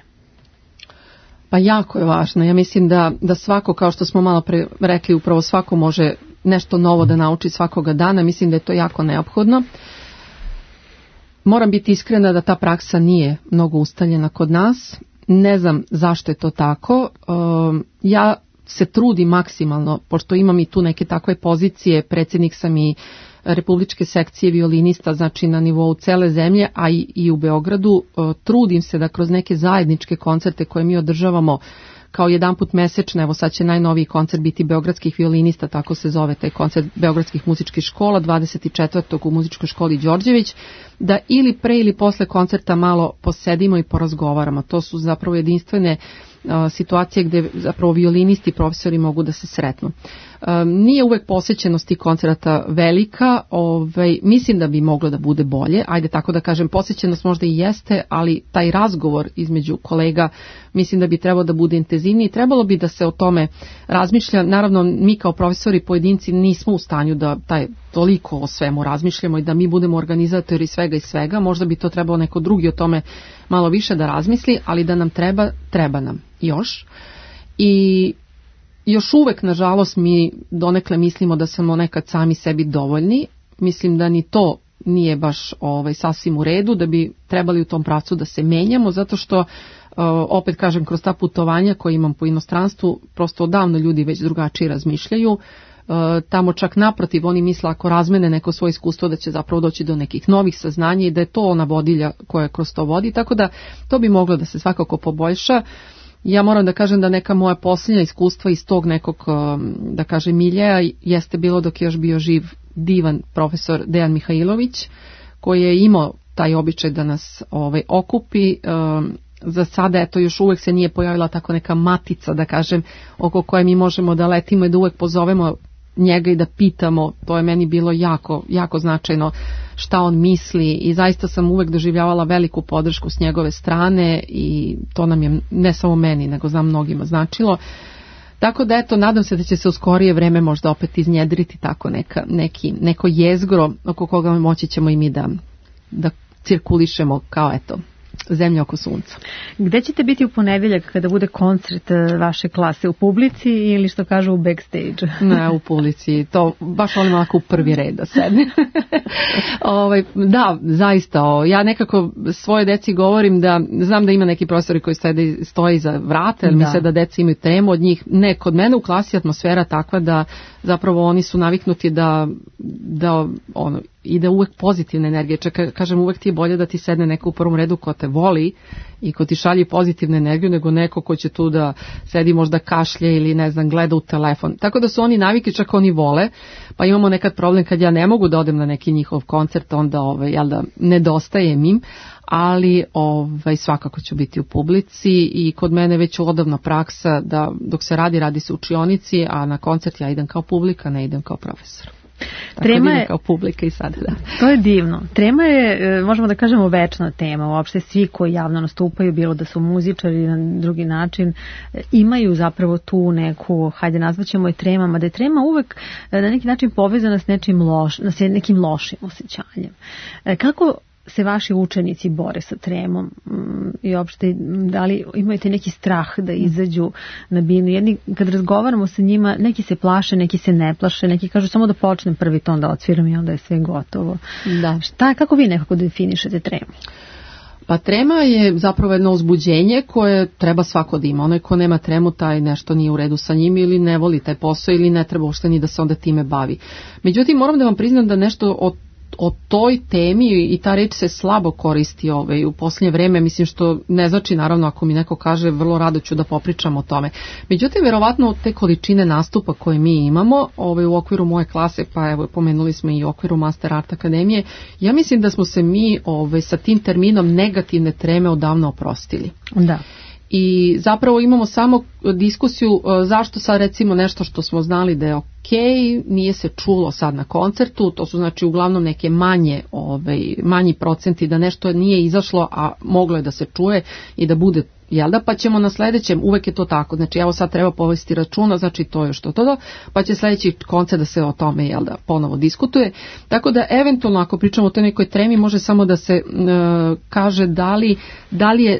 Pa jako je važno. Ja mislim da svako, kao što smo malo pre rekli, upravo svako može nešto novo da nauči svakoga dana. Mislim da je to jako neophodno. Moram biti iskrena da ta praksa nije mnogo ustaljena kod nas. Ne znam zašto je to tako. Ja se trudim maksimalno, pošto imam i tu neke takve pozicije, predsjednik sam i republičke sekcije violinista, znači na nivou cele zemlje, a i u Beogradu. Trudim se da kroz neke zajedničke koncerte koje mi održavamo kao jedanput mesečno, evo sad će najnoviji koncert biti beogradskih violinista, tako se zove taj koncert beogradskih muzičkih škola, 24. u muzičkoj školi Đorđević, da ili pre ili posle koncerta malo posedimo i porazgovaramo. To su zapravo jedinstvene situacije gde zapravo violinisti i profesori mogu da se sretnu. Nije uvek posjećenost tih koncerata velika, mislim da bi moglo da bude bolje, ajde tako da kažem, posjećenost možda i jeste, ali taj razgovor između kolega mislim da bi trebalo da bude intenzivniji, trebalo bi da se o tome razmišlja. Naravno, mi kao profesori pojedinci nismo u stanju da toliko o svemu razmišljamo i da mi budemo organizatori svega i svega, možda bi to trebalo neko drugi o tome malo više da razmisli, ali da nam treba nam još. I još uvek, nažalost, mi donekle mislimo da smo nekad sami sebi dovoljni. Mislim da ni to nije baš sasvim u redu, da bi trebali u tom pravcu da se menjamo, zato što, opet kažem, kroz ta putovanja koje imam po inostranstvu, prosto odavno ljudi već drugačije razmišljaju. Tamo čak naprotiv, oni misle ako razmene neko svoje iskustvo da će zapravo doći do nekih novih saznanja i da je to ona vodilja koja kroz to vodi, tako da to bi moglo da se svakako poboljša. Ja moram da kažem da neka moja posljednja iskustva iz tog nekog, da kažem, miljeja jeste bilo dok je još bio živ divan profesor Dejan Mihajlović, koji je imao taj običaj da nas okupi. Za sada, eto, još uvek se nije pojavila tako neka matica, da kažem, oko koje mi možemo da letimo i da uvek pozovemo njega i da pitamo. To je meni bilo jako, jako značajno šta on misli i zaista sam uvek doživljavala veliku podršku s njegove strane i to nam je ne samo meni, nego znam mnogima značilo. Tako da, eto, nadam se da će se u skorije vreme možda opet iznjedriti tako neko jezgro oko koga moći ćemo i mi da cirkulišemo kao, eto, zemlja oko sunca. Gde ćete biti u ponedeljak kada bude koncert vaše klase? U publici ili što kažu u backstage? Ne, u publici. To baš volim ovako u prvi red da sedne. Da, zaista. Ja nekako svoje deci govorim da znam da ima neki profesori koji stoje iza vrata, jer misle da deca imaju temu od njih. Ne, kod mene u klasi atmosfera takva da zapravo oni su naviknuti da ide uvek pozitivna energija. Kažem, uvek ti je bolje da ti sedne neko u prvom redu ko te voli i ko ti šalje pozitivnu energiju, nego neko ko će tu da sedi možda kašlje ili ne znam, gleda u telefon. Tako da su oni naviki, čak oni vole, pa imamo nekad problem kad ja ne mogu da odem na neki njihov koncert, onda nedostajem im, ali svakako ću biti u publici i kod mene već odavna praksa da dok se radi se u učionici, a na koncert ja idem kao publika, ne idem kao profesor. Trema je kao publika i sad, da. To je divno. Trema je, možemo da kažemo, večna tema. Uopšte svi koji javno nastupaju, bilo da su muzičari na drugi način, imaju zapravo tu neku, hajde nazvaćemo je tremama, da je trema uvek na neki način povezana s nekim lošim osjećanjem. Kako se vaši učenici bore sa tremom i uopšte da li imate neki strah da izađu na binu? Jedni kad razgovaramo sa njima, neki se plaše, neki se ne plaše, neki kažu samo da počnem prvi ton da odsviram i onda je sve gotovo. Da. Kako vi nekako definišete tremu? Pa trema je zapravo jedno uzbuđenje koje treba svako da ima. Onaj ko nema tremu, taj nešto nije u redu sa njim ili ne voli taj posao ili ne treba uopšte ni da se onda time bavi. Međutim, moram da vam priznam da nešto od o toj temi i ta reč se slabo koristi u posljednje vreme, mislim što ne znači naravno ako mi neko kaže vrlo rado ću da popričam o tome. Međutim, verovatno te količine nastupa koje mi imamo u okviru moje klase, pa evo pomenuli smo i u okviru Master Art Akademije, ja mislim da smo se mi sa tim terminom negativne treme odavno oprostili. Da. I zapravo imamo samo diskusiju zašto sad recimo nešto što smo znali da je nije se čulo sad na koncertu, to su znači uglavnom neke manji procenti da nešto nije izašlo, a moglo je da se čuje i da bude, pa ćemo na sledećem, uvek je to tako, znači evo sad treba povesti računa, znači to je što, pa će sledeći koncert da se o tome ponovo diskutuje, tako da eventualno ako pričamo o toj nekoj tremi može samo da se kaže da li je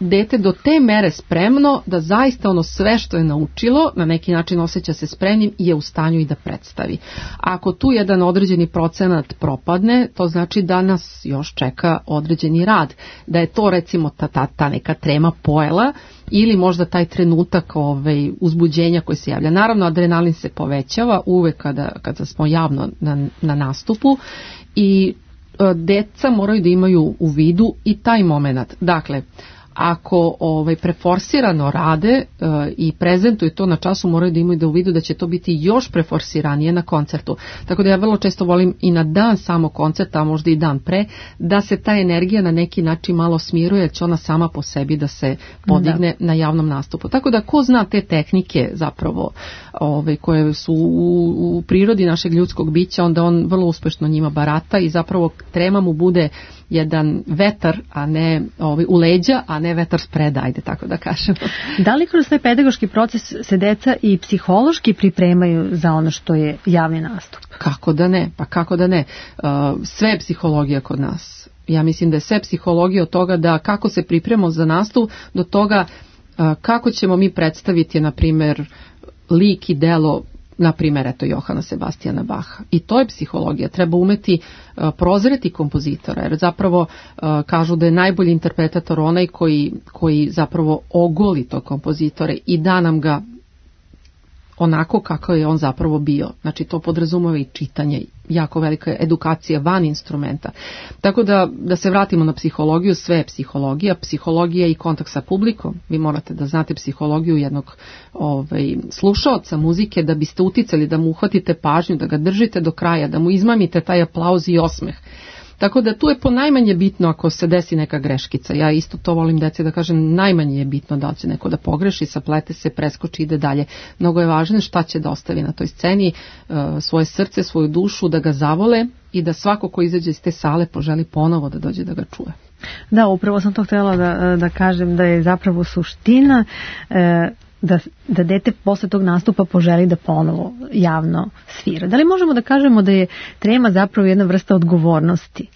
dete do te mere spremno da zaista ono sve što je naučilo na neki način osjeća se spremnim i je u stanju i da predstavi. A ako tu jedan određeni procenat propadne, to znači da nas još čeka određeni rad, da je to recimo ta neka trema pojela ili možda taj trenutak uzbuđenja koji se javlja. Naravno adrenalin se povećava uvek kada smo javno na nastupu i deca moraju da imaju u vidu i taj moment. Dakle, ako preforsirano rade i prezentuju to na času, moraju da imaju da u vidu da će to biti još preforsiranije na koncertu. Tako da ja vrlo često volim i na dan samo koncerta, a možda i dan pre, da se ta energija na neki način malo smiruje, jer će ona sama po sebi da se podigne na javnom nastupu. Tako da ko zna te tehnike zapravo koje su u prirodi našeg ljudskog bića, onda on vrlo uspešno njima barata i zapravo trema mu bude jedan vetar, a ne u leđa, a ne vetar spreda, ajde tako da kažemo. Da li kroz taj pedagoški proces se deca i psihološki pripremaju za ono što je javni nastup? Kako da ne, pa kako da ne. Sve je psihologija kod nas. Ja mislim da je sve psihologija od toga da kako se pripremamo za nastup do toga kako ćemo mi predstaviti, na primjer, lik i delo, na primjer, Johana Sebastijana Baha. I to je psihologija. Treba umeti prozreti kompozitora, jer zapravo kažu da je najbolji interpretator onaj koji zapravo ogoli tog kompozitore i da nam ga onako kako je on zapravo bio. Znači to podrazumeva i čitanje, jako velika edukacija van instrumenta. Tako da se vratimo na psihologiju, sve je psihologija. Psihologija i kontakt sa publikom. Vi morate da znate psihologiju jednog slušaoca muzike da biste uticali, da mu uhvatite pažnju, da ga držite do kraja, da mu izmamite taj aplauz i osmeh. Tako da tu je ponajmanje bitno ako se desi neka greškica. Ja isto to volim deci da kažem, najmanje je bitno da će neko da pogreši, saplete se, preskoči, ide dalje. Mnogo je važno šta će da ostavi na toj sceni, svoje srce, svoju dušu, da ga zavole i da svako ko izađe iz te sale poželi ponovo da dođe da ga čuje. Da, upravo sam to htjela da kažem da je zapravo suština da dete posle tog nastupa poželi da ponovo javno svira. Da li možemo da kažemo da je trema zapravo jedna vrsta odgovornosti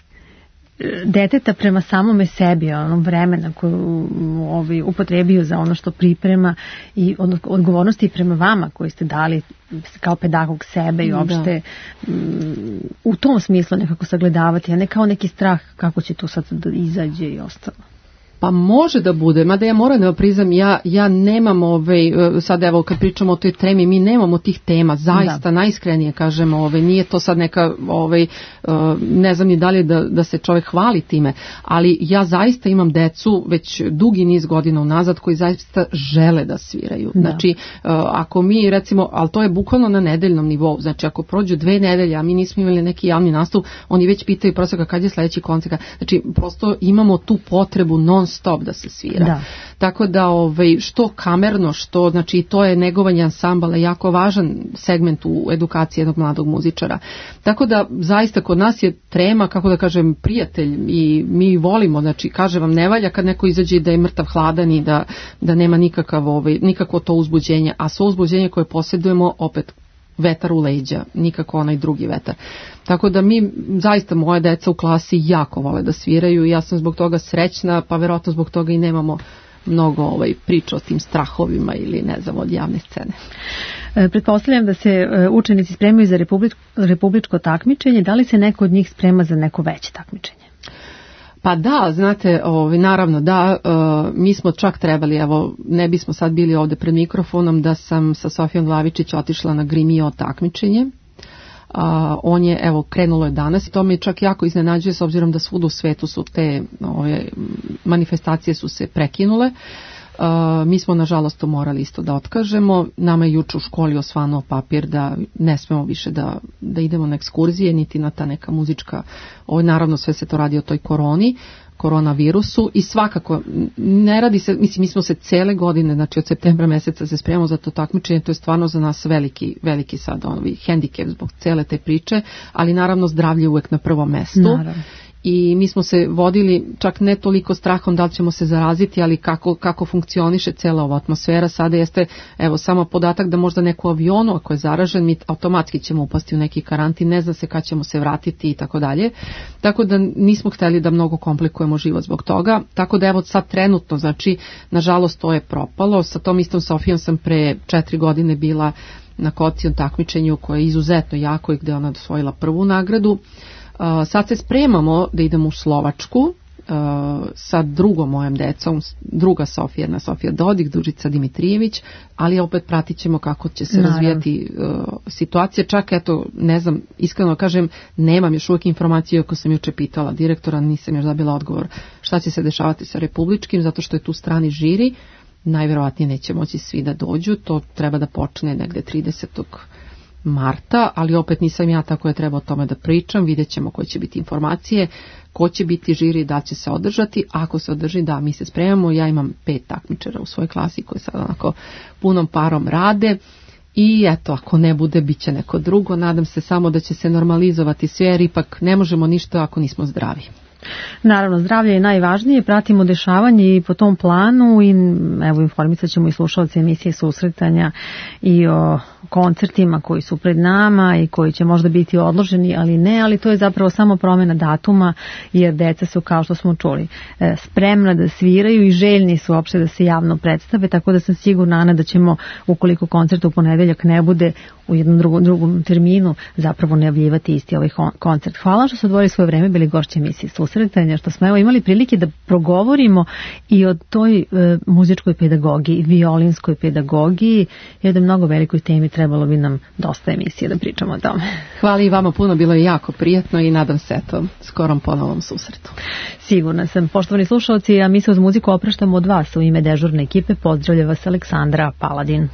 deteta prema samome sebi, onom vremena koju upotrebio za ono što priprema i odgovornosti prema vama koji ste dali kao pedagog sebe i uopšte u tom smislu nekako sagledavati, a ne kao neki strah kako će tu sad da izađe i ostalo? Pa može da bude, mada ja moram da priznam, ja nemam sad evo kad pričamo o toj tremi, mi nemamo tih tema, zaista najiskrenije kažemo, nije to sad neka, ne znam ni da li da se čovjek hvali time, ali ja zaista imam decu već dugi niz godina unazad koji zaista žele da sviraju. Znači, ako mi recimo, ali to je bukvalno na nedeljnom nivou, znači ako prođu 2 nedelje, a mi nismo imali neki javni nastup, oni već pitaju prosto kad je sledeći koncert, znači prosto imamo tu potrebu non stop da se svira. Da. Tako da što kamerno, što znači to je negovanje ansambala jako važan segment u edukaciji jednog mladog muzičara. Tako da zaista kod nas je trema, kako da kažem, prijatelj i mi volimo, znači kaže vam ne valja kad neko izađe da je mrtav hladan i da nema nikakvo to uzbuđenje, a svo uzbuđenje koje posjedujemo opet vetar u leđa, nikako onaj drugi vetar. Tako da mi, zaista moje deca u klasi jako vole da sviraju i ja sam zbog toga srećna, pa verovatno zbog toga i nemamo mnogo priča o tim strahovima ili ne znam od javne scene. Pretpostavljam da se učenici spremaju za republičko takmičenje, da li se neko od njih sprema za neko veće takmičenje? Pa da, znate, naravno da, mi smo čak trebali, evo, ne bismo sad bili ovdje pred mikrofonom, da sam sa Sofijom Glavičić otišla na Grimio takmičenje, On je, evo, krenulo je danas i to me čak jako iznenađuje s obzirom da svud u svetu su te manifestacije su se prekinule. Mi smo nažalost to morali isto da otkažemo. Nama je juče u školi osvanuo papir da ne smemo više da idemo na ekskurzije niti na ta neka muzička, naravno sve se to radi o toj koronavirusu i svakako ne radi se, mislim, mi smo se cele godine, znači od septembra meseca se spremamo za to takmičenje, to je stvarno za nas veliki sad hendikep zbog cele te priče, ali naravno zdravlje uvek na prvom mestu. Naravno. I mi smo se vodili čak ne toliko strahom da li ćemo se zaraziti, ali kako funkcioniše cela ova atmosfera. Sada jeste, evo, samo podatak da možda neko u avionu, ako je zaražen, mi automatski ćemo upasti u neki karantin, ne zna se kad ćemo se vratiti i tako dalje. Tako da nismo hteli da mnogo komplikujemo život zbog toga. Tako da evo sad trenutno, znači, nažalost to je propalo. Sa tom istom Sofijom sam pre 4 godine bila na Kocijom takmičenju koje je izuzetno jako i gde ona osvojila prvu nagradu. Sad se spremamo da idemo u Slovačku sa drugom mojom decom, druga Sofija, jedna Sofija Dodik, Dužica Dimitrijević, ali opet pratit ćemo kako će se razvijati situacija. Čak, eto, ne znam, iskreno kažem, nemam još uvijek informaciju, ako sam juče pitala direktora, nisam još dobila odgovor šta će se dešavati sa republičkim, zato što je tu strani žiri, najverovatnije neće moći svi da dođu, to treba da počne negde 30. marta, ali opet nisam ja tako je treba o tome da pričam, vidjet ćemo koje će biti informacije, ko će biti žiri, da će se održati, ako se održi, da, mi se spremamo, ja imam 5 takmičara u svojoj klasi koji sad onako punom parom rade i eto, ako ne bude, bit će neko drugo, nadam se samo da će se normalizovati sve, jer ipak ne možemo ništa ako nismo zdravi. Naravno, zdravlje je najvažnije, pratimo dešavanje i po tom planu i evo informisat ćemo i slušalce emisije Susretanja i o koncertima koji su pred nama i koji će možda biti odloženi, ali ne, ali to je zapravo samo promjena datuma, jer deca su, kao što smo čuli, spremna da sviraju i željni su uopšte da se javno predstave, tako da sam sigurna, Ana, da ćemo, ukoliko koncert u ponedeljak ne bude u jednom drugom terminu, zapravo najavljivati isti ovaj koncert. Hvala što su odvojili svoje vreme, bili gošći emisije Susretanja, što smo evo imali prilike da progovorimo i o toj muzičkoj pedagogiji, violinskoj pedagogiji, jer da mnogo velikoj temi trebalo bi nam dosta emisije da pričamo o tome. Hvala i vama puno, bilo je jako prijatno i nadam se skorom ponovom susretu. Sigurna sam. Poštovani slušalci, a mi se uz muziku opraštamo od vas. U ime dežurne ekipe pozdravlja vas Aleksandra Paladin.